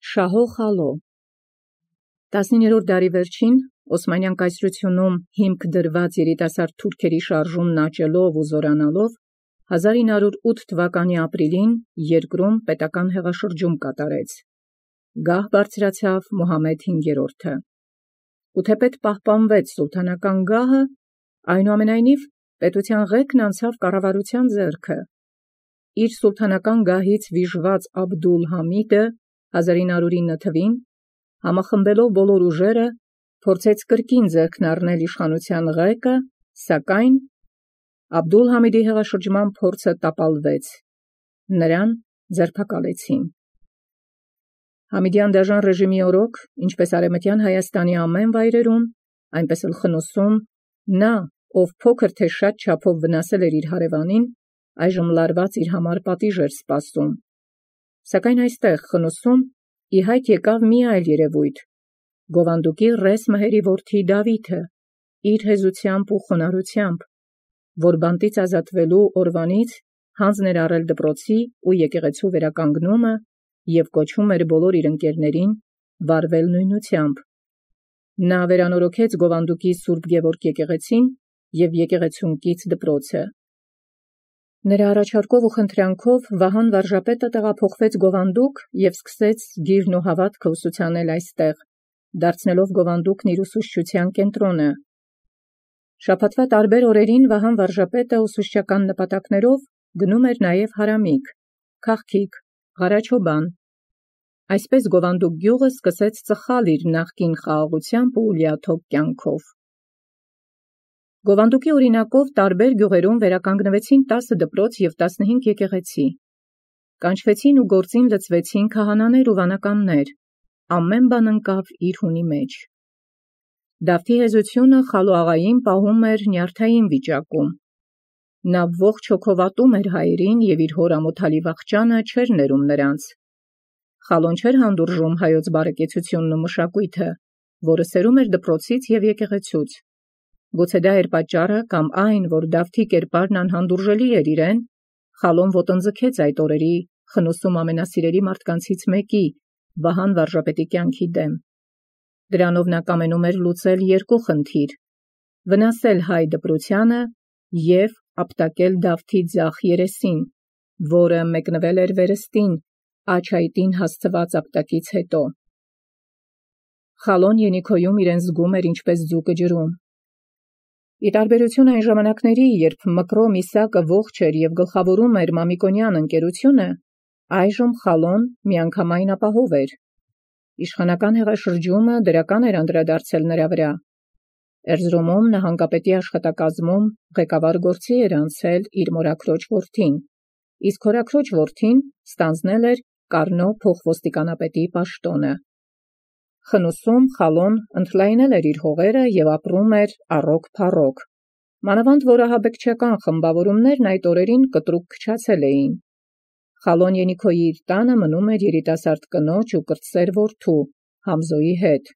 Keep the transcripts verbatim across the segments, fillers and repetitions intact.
Շահո Խալո տասնիններորդ դարի վերջին Օսմանյան կայսրությունում հիմք դրված երիտասարդ թուրքերի շարժումն աճելով ու զորանալով հազար ինը հարյուր ութ թվականի ապրիլին երկրում պետական հեղաշրջում կատարեց։ Գահ բարձրացավ Մուհամեդ հինգերորդը։ Ու թեպետ պահպանվեց սուլթանական գահը, այնուամենայնիվ պետության ղեկն անցավ կառավարության ձեռքը։ Իր սուլթանական գահից վիժված Աբդուլ Համիդը հազար ինը հարյուր ինը թվին համախմբելով բոլոր ուժերը փորձեց կրկին ձեռքն առնել իշխանության ղեկը, սակայն Աբդուլ Համիդի հեղաշրջման փորձը տապալվեց, նրան ձերբակալեցին։ Համիդյան դաժան ռեժիմի օրոք, ինչպես արևմտյան Հայաստանի ամեն վայրերում, այնպես էլ Խնոսում, նա, ով փոքր թե շատ չափով վնասել էր իր հարևանին, այժմ լարված իր համար պատիժ էր սպասում։ Սակայն այստեղ Խնոսում ի հայտ եկավ մի այլ երևույթ՝ Գովանդուկի ռես մհերի որդի Դավիթը, իր հեզությամբ ու խոնարհությամբ, որ բանտից ազատվելու օրվանից հանձն էր առել դպրոցի ու եկեղեցու վերականգնումը և կոչում էր բոլոր իր ընկերներին վարվել նույնությամբ։ Նա վերանորոգեց Գովանդուկի Սուրբ Գևորգ եկեղեցին և եկեղեցունկից դպրոցը։ Նրա առաջարկով ու խնդրանքով Վահան վարժապետը տեղափոխվեց Գովանդուկ և սկսեց գիրն ու հավատքը ուսուցանել այստեղ, դարձնելով Գովանդուկն իր ուսուցչության կենտրոնը։ Շաբաթվա տարբեր օրերին Վահան վարժապետը ուսուցչական նպատակներով գնում էր նաև Հարամիկ, Քաղքիկ, Ղարաչոբան։ Այսպես Գովանդուկ գյուղը սկսեց ծխալ իր նախկին խաղաղությամբ ու լիաթոք կյանքով։ Գովանդուկի օրինակով տարբեր գյուղերում վերականգնվեցին տասը դպրոց և տասնհինգ եկեղեցի։ Կանչվեցին ու գործին լցվեցին քահանաներ ու վանականներ, ամեն բան ընկավ իր հունի մեջ։ Դավթի հեզությունը Խալո աղային պահում էր նյարդային վիճակում։ Նա ողջ հոգով ատում էր հայերին և իր հոր ամոթալի վախճանը չէր ներում նրանց։ Խալոն չէր հանդուրժում հայոց բարեկեցությունն ու մշակույթը, որը սերում էր դպրոցից և եկեղեցուց։ Գուցե դա էր պատճառը կամ այն, որ Դավթի կերպարն անհանդուրժելի էր իրեն, Խալոն ոտնձգեց այդ օրերի Խնոսում ամենասիրելի մարդկանցից մեկի՝ Վահան վարժապետի կյանքի դեմ։ Դրանով նա կամենում էր լուծել երկու խնդիր՝ վնասել հայ դպրությանը և ապտակել Դավթի ձախ երեսին, որը մեկնվել էր վերստին, աջ այտին հասցված ապտակից հետո։ Խալոն Ենիքոյում իրեն զգում էր ինչպես ձուկը ջրում։ Ի տարբերություն այն ժամանակների, երբ Մկրո Միսակը ողջ էր և գլխավորում էր Մամիկոնյան ընկերությունը, այժմ Խալոն միանգամայն ապահով էր։ Իշխանական հեղաշրջումը դրական էր անդրադարձել նրա վրա։ Էրզրումում նահանգապետի աշխատակազմում ղեկավար գործի էր անցել իր մորաքրոջ որդին, իսկ հորաքրոջ որդին ստանձնել էր Կառնո փոխոստիկանապետի պաշտոնը։ Խնոսում Խալոն ընդլայնել էր իր հողերը և ապրում էր առոք-փառոք, մանավանդ որ ահաբեկչական խմբավորումներն այդ օրերին կտրուկ քչացել էին։ Խալոն Ենիքոյի իր տանը մնում էր երիտասարդ կնոջ ու կրտսեր որդու Համզոյի հետ։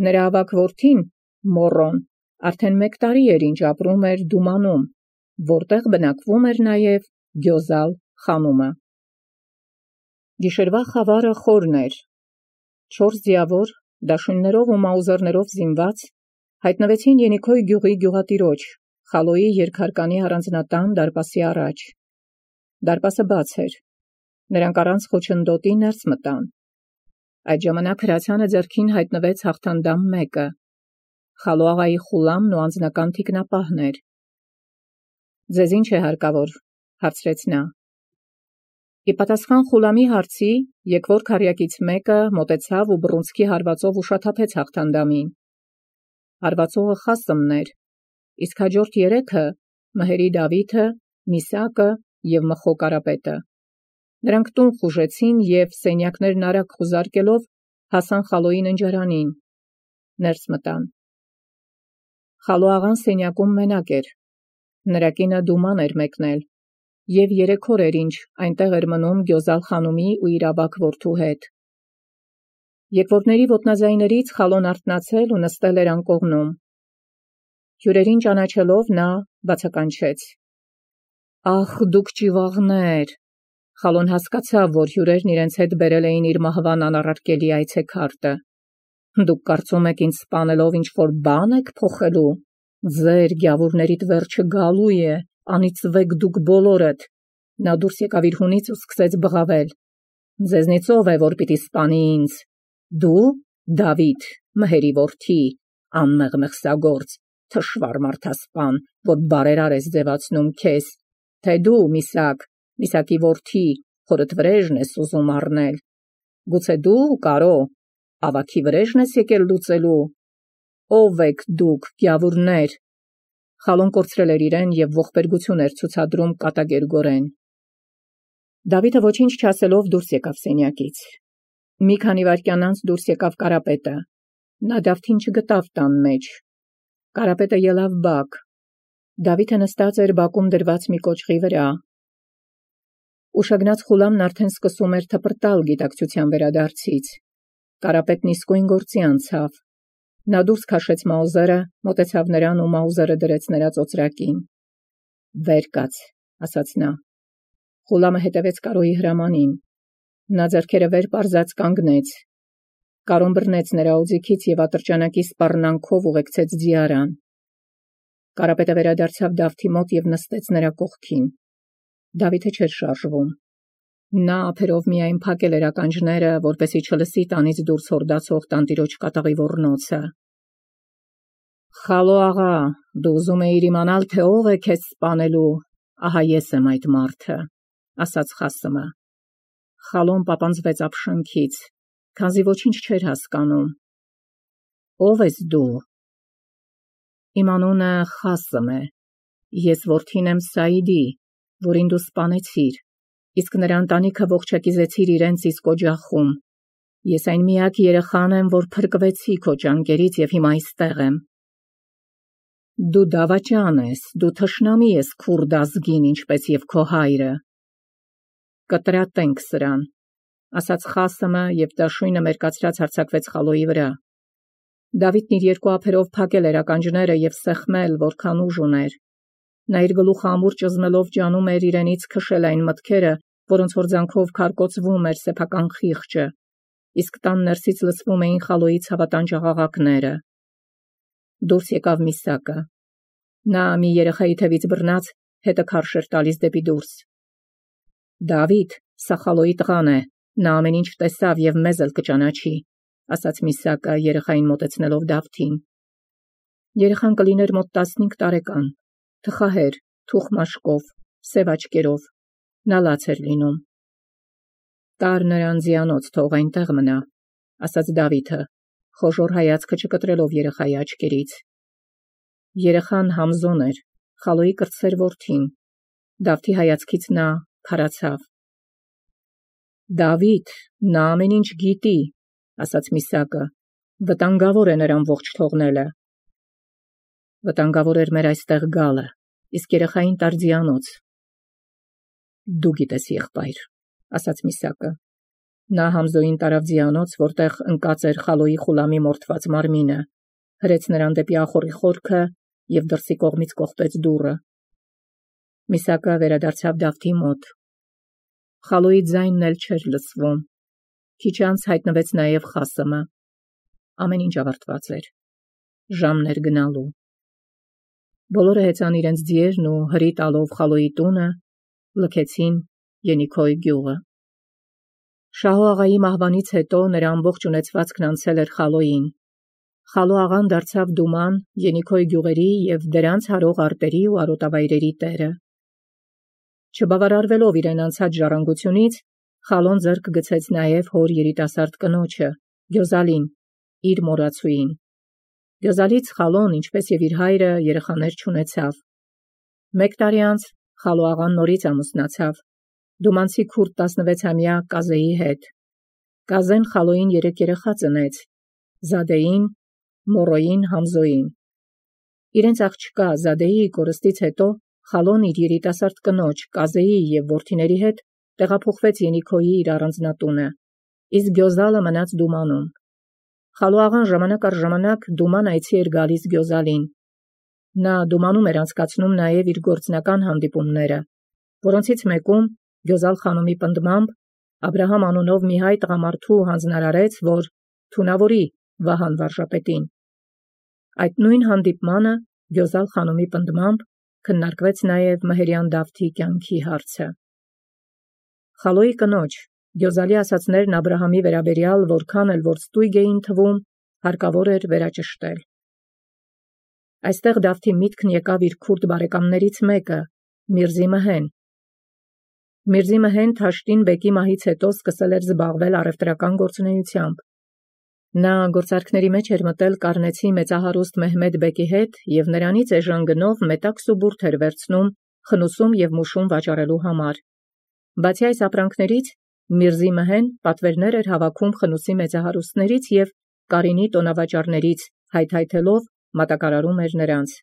Նրա ավագ որդին Մոռոն արդեն մեկ տարի էր ինչ ապրում էր Դումանում, որտեղ բնակվում էր նաև Գյոզալ խանումը։ Գիշերվա խավարը խորն էր։ Չորս ձիավոր, դաշույններով ու մաուզերներով զինված, հայտնվեցին Ենիքոյ գյուղի գյուղատիրոջ, Խալոյի երկհարկանի առանձնատան դարպասի առաջ։ Դարպասը բաց էր։ Նրանք առանց խոչընդոտի ներս մտան։ Այդ ժամանակ հրացանը ձեռքին հայտնվեց հաղթանդամ մեկը։ Խալո աղայի խուլամն ու անձնական թիկնապահն էր։ «Ձեզ ինչ է հարկավոր», հարցրեց նա։ Ի պատասխան խուլամի հարցի եկվոր քառյակից մեկը մոտեցավ ու բռունցքի հարվածով ուշաթափեց հաղթանդամին։ Հարվածողը Խասմն էր, իսկ հաջորդ երեքը՝ մհերի Դավիթը, Միսակը և Մխո Կարապետը։ Նրանք տուն խուժեցին և սենյակներն արագ խուզարկելով հասան Խալոյի ննջարանին, ներս մտան։ Խալո աղան սենյակում մենակ էր։ Նրա կինը Դուման էր մեկնել, և երեք օր էր ինչ այնտեղ էր մնում Գյոզալ խանումի ու իր ավագ որդու հետ։ Եկվորների ոտնաձայներից Խալոն արթնացել ու նստել էր անկողնում։ Հյուրերին ճանաչելով նա բացականչեց. «Ախ, դուք ճիվաղներ, Խալոն հասկացավ, որ հյուրերն իրենց հետ բերել էին իր մահվան անառարկելի այցեքարտը։ Դուք կարծում եք ինձ սպանելով ինչ-որ բան եք փոխելու։ Ձեր գյավուրներիդ վերջը գալու է, անիծվեք դուք բոլորդ։ Նա դուրս եկավ իր հունից ու սկսեց բղավել։ Ձեզնից ով է, որ պիտի սպանի ինձ։ Դու, Դավիթ, մհերի որդի, անմեղ մեղսագործ, թշվառ մարդասպան, որ բարերար ես ձևացնում քեզ, թե դու, Միսակ, Միսակի որդի, հորդ վրեժն ես ուզում առնել։ Գուցե դու, Կարո, ավագի վրեժն ես եկել լուծելու։ Ո՞վ եք դուք, գյավուրներ։ Խալոն կորցրել էր իրեն և ողբերգություն էր ցուցադրում կատակերգորեն։ Դավիթը ոչինչ չասելով դուրս եկավ սենյակից։ Մի քանի վայրկյան անց դուրս եկավ Կարապետը։ Նա Դավթին չգտավ տան մեջ։ Կարապետը ելավ բակ։ Դավիթը նստած էր բակում դրված մի կոճղի վրա։ Ուշագնաց Խուլամն արդեն սկսում էր թպրտալ գիտակցության վերադարձից։ Կարապետն իսկույն գործի անցավ։ Նա դուրս քաշեց Մաուզերը, մոտեցավ նրան ու Մաուզերը դրեց նրա ծոծրակին։ Վեր կաց, ասաց նա։ Խուլամը հետևեց Կարոյի հրամանին։ Նա ձեռքերը վեր պարզած կանգնեց։ Կարոն բռնեց նրա օձիքից և ատրճանակի սպառնանքով ուղեկցեց ձիարան։ Կարապետը վերադարձավ Դավթի մոտ և նստեց նրա կողքին։ Դավիթը չէր շարժվում։ Նա ափերով միայն փակել էր ականջները, որպեսզի չլսի տանից դուրս հորդացող տանտիրոջ կատաղի ոռնոցը։ Խալո աղա, դու ուզում էիր իմանալ, թե ով է քեզ սպանելու, ահա ես եմ այդ մարդը, ասաց Խասմը։ Խալոն պապանձվեց ապշանքից, քանզի ոչինչ չէր հասկանում։ Ով ես դու։ Իմ անունը Խասմ է։ Ես որդին եմ Սաիդի, որին դու սպանեցիր, իսկ նրա ընտանիքը ողջակիզեցիր իրենց իսկ օջախում։ Ես այն միակ երեխան եմ, որ փրկվեցի քո ճանկերից և հիմա այստեղ եմ։ Դու դավաճան ես, դու թշնամի ես քուրդ ազգին, ինչպես և քո հայրը։ Կտրատենք սրան, ասաց Խասմը և դաշույնը մերկացրած հարձակվեց Խալոյի վրա։ Դավիթն իր երկու ափերով փակել էր ականջները և սեղմել, որքան ուժ ուներ։ Նա իր գլուխը ամուր ճզմելով ջանում էր իրենից քշել այն մտքերը, որոնց հորձանքով քարկոծվում էր սեփական խիղճը, իսկ տան ներսից լսվում էին Խալոյի ցավատանջ աղաղակները։ Դուրս եկավ Միսակը։ Նա մի երեխայի թևից բռնած հետը քարշ էր տալիս դեպի դուրս։ Դավիթ, սա Խալոյի տղան է, նա ամեն ինչ տեսավ և մեզ էլ կճանաչի, ասաց Միսակը երեխային մոտեցնելով Դավթին։ Երեխան կլիներ մոտ տասնհինգ տարեկան, թխահեր, թուխ մաշկով, սև աչքերով, նա լաց էր լինում։ Տար նրան ձիանոց, թող այնտեղ մնա, ասաց Դավիթը, խոժոռ հայացքը չկտրելով երեխայի աչքերից։ Երեխան Համզոն էր, Խալոյի կրտսեր որդին։ Դավթի հայացքից նա քարացավ։ Դավիթ, նա ամեն ինչ գիտի, ասաց Միսակը, վտանգավոր է նրան ողջ թողնելը։ Վտանգավոր էր մեր այստեղ գալը, իսկ երեխային տար ձիանոց։ Դու գիտես, եղբայր, ասաց Միսակը։ Նա Համզոյին տարավ ձիանոց, որտեղ ընկած էր Խալոյի Խուլամի մորթված մարմինը, հրեց նրան դեպի ախորի խորքը և դրսի կողմից կողպեց դուռը։ Միսակը վերադարձավ Դավթի մոտ։ Խալոյի ձայնն էլ չէր լսվում։ Քիչ անց հայտնվեց նաև Խասմը։ Ամեն ինչ ավարտված էր։ Ժամն էր գնալու։ Բոլորը հեծան իրենց ձիերն ու հրի տալով Խալոյի տունը լքեցին Ենիքոյ գյուղը։ Շահո աղայի մահվանից հետո նրա ամբողջ ունեցվածքն անցել էր Խալոյին։ Խալո աղան դարձավ Դուման, Ենիքոյ գյուղերի և դրանց հարող արտերի ու արոտավայրերի տերը։ Չբավարարվելով իրեն անցած ժառանգությունից, Խալոն ձեռք գցեց նաև հոր երիտասարդ կնոջը, Գյոզալին, իր մորացուին։ Գյոզալից Խալոն, ինչպես և իր հայրը, երեխաներ չունեցավ։ Մեկ տարի անց Խալո աղան նորից ամուսնացավ դումանցի քուրդ տասնվեցամյա Կազեի հետ։ Կազեն Խալոյին երեք երեխա ծնեց՝ Զադեին, Մորոյին, Համզոյին։ Իրենց աղջկա Զադեի կորստից հետո Խալոն իր երիտասարդ կնոջ Կազեի և որդիների հետ տեղափոխվեց Ենիքոյի իր առանձնատունը, իսկ Գյոզալը մնաց Դումանում։ Խալո աղան ժամանակ առ ժամանակ Դուման այցի էր գալիս Գյոզալին։ Նա Դումանում էր անցկացնում նաև իր գործնական հանդիպումները, որոնցից մեկում Գյոզալ խանումի պնդմամբ Աբրահամ անունով մի հայ տղամարդու հանձնարարեց, որ թունավորի Վահան վարժապետին։ Այդ նույն հանդիպմանը Գյոզալ խանումի պնդմամբ քննարկվեց նաև Մհերյան Դավթի կյանքի հարցը։ Խալոյի կնոջ Գյոզալի ասացներն Աբրահամի վերաբերյալ որքան էլ որ ստույգ էին թվում, հարկավոր էր վերաճշտել։ Այստեղ Դավթի միտքն եկավ իր քուրդ բարեկամներից մեկը, Միրզի Մհեն։ Միրզի Մհեն Թաշտին բեկի մահից հետո սկսել էր զբաղվել առևտրական գործունեությամբ։ Նա գործարքների մեջ էր մտել կառնեցի մեծահարուստ Մեհմեդ բեկի հետ և նրանից էժան գնով մետաքս ու բուրդ էր վերցնում խնուսում և մուշում վաճառելու համար։ Բացի այս ապրանքներից Միրզի Մհեն պատվերներ էր հավաքում խնուսի մեծահարուստներից և կարինի տոնավաճառներից, հայթայթելով մատակարարում էր նրանց։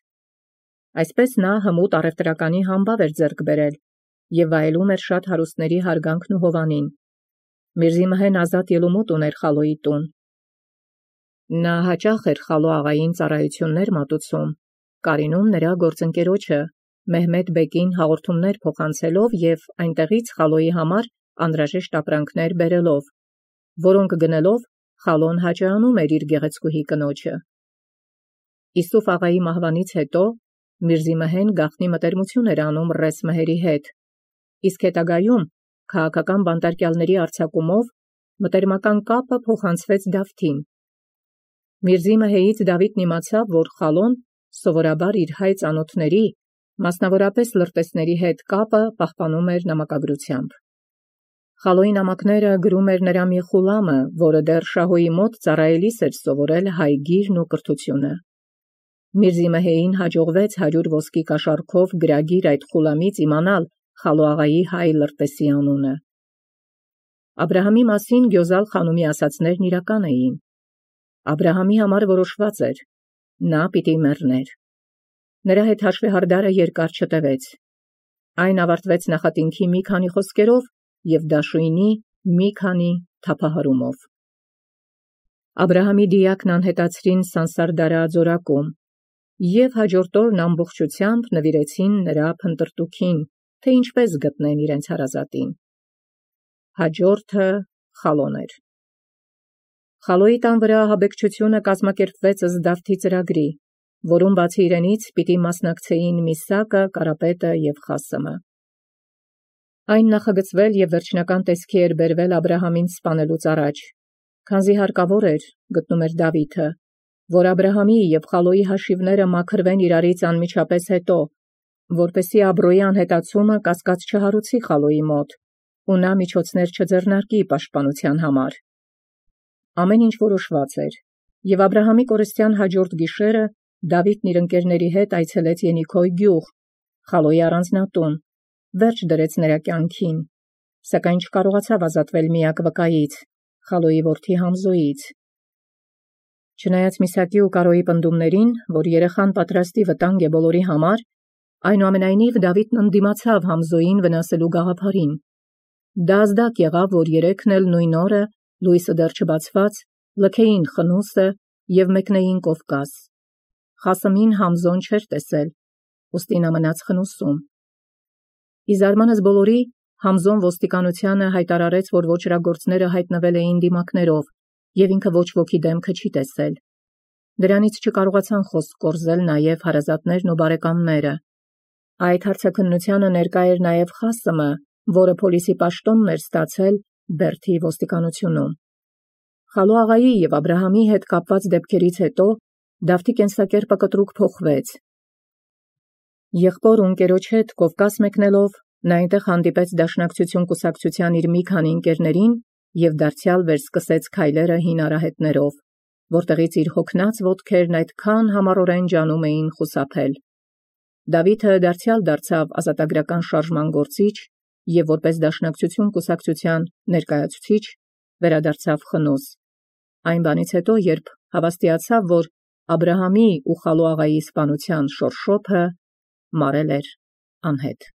Այսպես նա հմուտ առևտրականի համբավ էր ձեռք բերել և վայելում էր շատ հարուստների հարգանքն ու հովանին։ Միրզի Մհեն ազատ ելումուտ ուներ Խալոյի տուն։ Նա հաճախ էր Խալո աղային ծառայություններ մատուցում, կարինում նրա գործընկերոջը Մեհմեդ բեկին հաղորդումներ փոխանցելով և այնտեղից Խալոյի համար անհրաժեշտ ապրանքներ բերելով, որոնք գնելով Խալոն հաճայանում էր իր գեղեցկուհի կնոջը։ Իսուֆ աղայի մահվանից հետո Միրզի Մհեն գաղտնի մտերմություն էր անում Ռես Մհերի հետ, իսկ հետագայում քաղաքական բանտարկյալների արձակումով մտերմական կապը փոխանցվեց Դավթին։ Միրզի Մհեից Դավիթն իմացավ, որ Խալոն սովորաբար իր հայ ծանոթների, մասնավորապես լրտեսների հետ կապը պահպանում էր նամակագրությամբ։ Խալոյի նամակները գրում էր նրա մի խուլամը, որը դեռ Շահոյի մոտ ծառայելիս էր սովորել հայ գիրն ու կրթությունը։ Միրզի Մհեին հաջողվեց հարյուր ոսկի կաշառքով գրագիր այդ խուլամից իմանալ Խալո աղայի հայ լրտեսի անունը։ Աբրահամի մասին Գյոզալ խանումի ասացներն իրական էին։ Աբրահամի համար որոշված էր, նա պիտի մեռներ։ Նրա հետ հաշվեհարդարը երկար չտևեց։ Այն ավարտվեց նախատինքի մի քանի խոսքերով և դաշույնի մի քանի թափահարումով։ Աբրահամի դիակն անհետացրին Սանսարդարա ձորակում և հաջորդ օրն ամբողջությամբ նվիրեցին նրա փնտրտուքին, թե ինչպես գտնեն իրենց հարազատին։ Հաջորդը Խալոն էր։ Խալոյի տան վրա ահաբեկչությունը կազմակերպվեց ըստ Դավթի ծրագրի, որում բացի իրենից պիտի մասնակցեին Միսակը, Կարապետը և Խասմը։ Այն նախագծվել և վերջնական տեսքի էր բերվել Աբրահամին սպանելուց առաջ, քանզի հարկավոր էր, գտնում էր Դավիթը, որ Աբրահամի և Խալոյի հաշիվները մաքրվեն իրարից անմիջապես հետո, որպեսզի Աբրոյի անհետացումը կասկած չհարուցի Խալոյի մոտ, ու նա միջոցներ չձեռնարկի պաշտպանության համար։ Ամեն ինչ որոշված էր, և Աբրահամի կորստյան հաջորդ գիշերը Դավիթն իր ընկերների հետ այցելեց Ենիքոյ գյուղ, Խալոյի առանձնատուն, վերջ դրեց նրա կյանքին, սակայն չկարողացավ ազատվել միակ վկայից, Խալոյի որդի Համզոյից։ Չնայած Միսակի ու Կարոյի պնդումներին, որ երեխան պատրաստի վտանգ է բոլորի համար, այնուամենայնիվ Դավիթն ընդդիմացավ Համզոյին վնասելու գաղափարին։ Դա ազդակ եղավ, որ երեքն էլ նույն օրը, լույսը դեռ չբացված, լքեին խնուսը և մեկնեին Կովկաս։ Խասմին Համզոն չէր տեսել, ուստի նա մնաց խնուսում։ Ի զարմանս բոլորի, Համզոն ոստիկանությանը հայտարարեց, որ ոճրագործները հայտնվել էին դիմակներով, և ինքը ոչ ոքի դեմքը չի տեսել։ Դրանից չկարողացան խոսք կորզել նաև հարազատներն ու բարեկամները։ Այդ հարցաքննությանը ներկա էր նաև Խասմը, որը փոլիսի պաշտոնն էր ստացել Բերթի ոստիկանությունում։ Խալո աղայի և Աբրահամի հետ կապված դեպքերից հետո Դավթի կենսակերպը կտրուկ փոխվեց։ Եղբոր ու ընկերոջ հետ Կովկաս մեկնելով, նա այնտեղ հանդիպեց Դաշնակցություն կուսակցության իր մի քանի ընկերներին և դարձյալ վերսկսեց քայլերը հին արահետներով, որտեղից իր հոգնած ոտքերն այդքան համառորեն ջանում էին խուսափել։ Դավիթը դարձյալ դարձավ ազատագրական շարժման գործիչ և որպես Դաշնակցություն կուսակցության ներկայացուցիչ վերադարձավ խնուս։ Այն բանից հետո, երբ հավաստիացավ, որ Աբրահամի ու Խալո աղայի սպանության շորշոփը մարել էր անհետ։